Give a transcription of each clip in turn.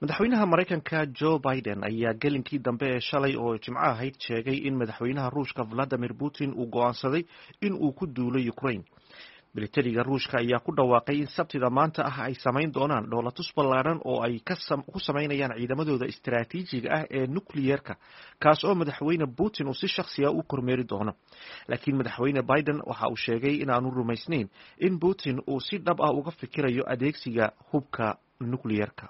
Madaxweynaha Maraykanka Joe Biden ayaa gelinkii dambe ee shalay oo Jimco ahayd sheegay in madaxweynaha Ruushka Vladimir Putin uu go'aansaday in uu ku duulo Ukraine. Militariga Ruushka ayaa ku dhawaaqay in Sabtida maanta ah ay samayn doonaan dhoolatus ballaadhan oo ay ku samaynayaan ciidamadooda istaraatiijiga ah ee nukliyerka, kaas oo madaxweyne Putin uu si shakhsiya u kormeeri doono. Laakiin madaxweyne Biden waxa uu sheegay in aanu rumaysnayn in Putin uu si dhab ah uga fikirayo adeegsiga hubka nukliyerka.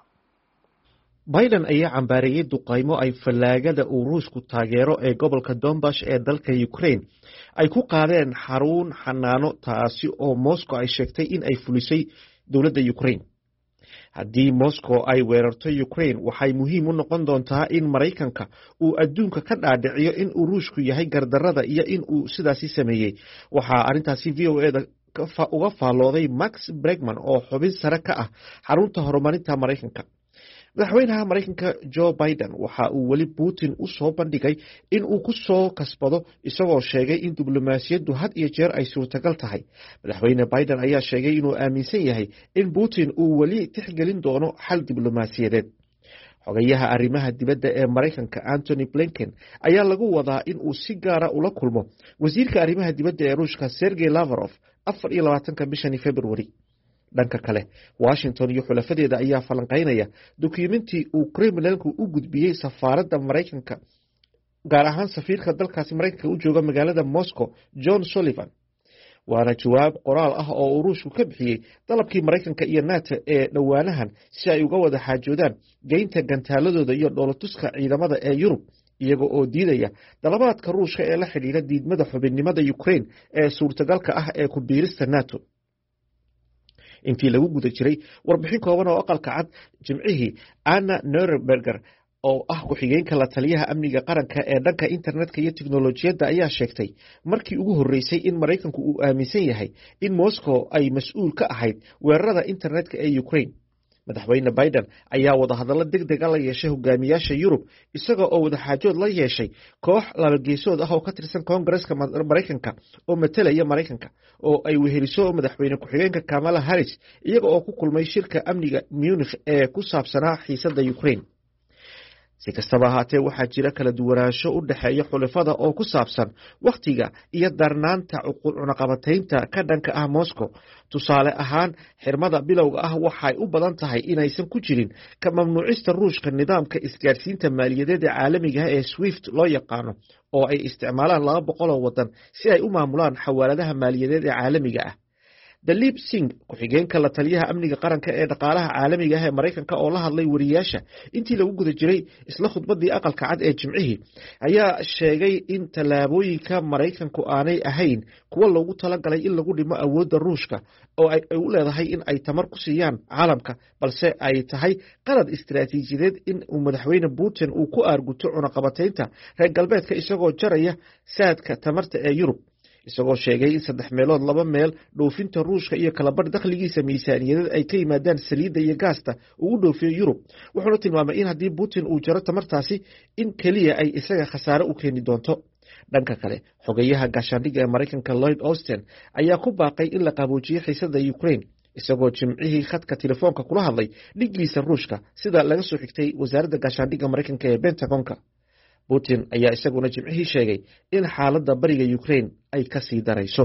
Biden ayaa cambaareeyey duqaymo ay fallaagada uu Ruushku taageero ee gobolka Donbash ee dalka Ukraine ay ku qaadeen xarun xanaano, taasi oo Moscow ay sheegtay in ay fulisay dowladda Ukraine. Haddii Moscow ay weerarto Ukraine, waxay muhiim u noqon doontaa in Maraykanka uu adduunka ka dhaadhiciyo in uu Ruushku yahay gardarada iyo in uu sidaasi sameeyey. Waxaa arrintaasi VOA-da uga faallooday Max Bregman oo xubin sare ka ah xarunta horumarinta Maraykanka. Madaxweynaha Maraykanka Joe Biden waxa uu weli Putin u soo bandhigay in uu ku soo kasbado, isagoo sheegay in diblomaasiyaddu had iyo jeer ay suurtagal tahay. Madaxweyne Biden ayaa sheegay inuu aaminsan yahay in Putin uu weli tixgelin doono xal diblomaasiyadeed. Xogayaha arrimaha dibadda ee Maraykanka Antony Blinken ayaa lagu wadaa in uu si gaara ula kulmo wasiirka arrimaha dibadda ee Ruushka Sergey Lavrov 24-ka bishani February. Dhanka kale, Washington iyo xulafadeeda ayaa falanqeynaya dukumentii uu Kremlinku u gudbiyey safaaradda Maraykanka, gaar ahaan safiirka dalkaasi Maraykanka u jooga magaalada Moscow, John Sullivan, waana jawaab qoraal ah oo uu Ruushku ka bixiyey dalabkii Maraykanka iyo NATO ee dhowaanahan si ay uga wada xaajoodaan geynta gantaaladooda iyo dhoolatuska ciidamada ee Yurub, iyaga oo diidaya dalabaadka Ruushka ee la xidhiidha diidmada xubinnimada Ukraine ee suurtagalka ah ee ku biirista NATO. Intii lagu guda jiray warbixin kooban oo Aqalka Cad Jimcihii, Anna Neuberger oo ah ku-xigeenka la taliyaha amniga qaranka ee dhanka internetka iyo tiknolojiyadda ayaa sheegtay markii ugu horreysay in Maraykanku uu aaminsan yahay in Moscow ay mas-uul ka ahayd weerarada internetka ee Ukraine. Madaxweyne Biden ayaa wadahadallo deg dega la yeeshay hogaamiyaasha Yurub, isaga oo wadaxaajood la yeeshay koox labageesood ah oo ka tirsan Koongareska Maraykanka oo matalaya Maraykanka, oo ay weheliso madaxweyne ku-xigeenka Kamala Harris, iyaga oo ku kulmay shirka amniga Munich ee ku saabsanaa xiisadda Ukraine. Si kastaba ahaatee, waxaa jira kala duwanaansho u dhexeeya xulafada oo ku saabsan wakhtiga iyo darnaanta cunaqabataynta ka dhanka ah Moscow. Tusaale ahaan, xirmada bilowga ah waxay u badan tahay inaysan ku jirin ka mamnuucista Ruushka nidaamka isgaadhsiinta maaliyadeed ee caalamiga ah ee SWIFT loo yaqaano, oo ay isticmaalaan 200 oo wadan si ay u maamulaan xawaaladaha maaliyadeed ee caalamiga ah. Daleep Singh, ku-xigeenka la taliyaha amniga qaranka ee dhaqaalaha caalamiga ah ee Maraykanka, oo la hadlay wariyaasha intii lagu guda jiray isla khudbadii Aqalka Cad ee Jimcihii, ayaa sheegay in tallaabooyinka Maraykanku aanay ahayn kuwa loogu talagalay in lagu dhimo awoodda Ruushka oo ay u leedahay in ay tamar ku siiyaan caalamka, balse ay tahay qalad istaraatiijiyadeed in uu madaxweyne Putin uu ku aarguto cunaqabataynta reer galbeedka isagoo jaraya saadka tamarta ee Yurub, isagoo sheegay in saddex meelood laba meel dhoofinta Ruushka iyo kalabarh dakhligiisa miisaaniyadeed ay ka yimaadaan saliidda iyo gaasta uu u dhoofiyo Yurub. Wuxuuna tilmaamay in haddii Putin uu jaro tamartaasi in keliya ay isaga khasaare u keeni doonto. Dhanka kale, xogeyaha gaashaandhigga ee Maraykanka Lloyd Austin ayaa ku baaqay in la qaboojiyo xiisada Ukraine, isagoo Jimcihii khadka telefoonka kula hadlay dhiggiisa Ruushka, sida laga soo xigtay wasaaradda gaashaandhigga Maraykanka ee Pentagonka. Putin ayaa isaguna Jimcihii sheegay in xaaladda bariga Ukraine ay ka sii darayso.